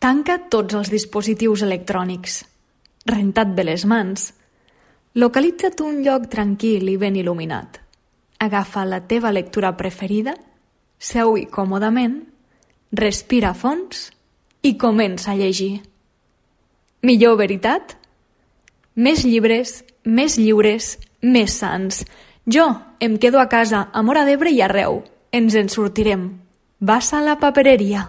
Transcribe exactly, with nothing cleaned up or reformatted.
Tanca tots els dispositius electrònics. Renta't bé les mans. Localitza't un lloc tranquil i ben il·luminat. Agafa la teva lectura preferida, seu-hi còmodament, respira a fons i comença a llegir. Millor veritat? Més llibres, més lliures, més sants. Jo em quedo a casa, a Móra d'Ebre i arreu. Ens en sortirem. Vas a la papereria.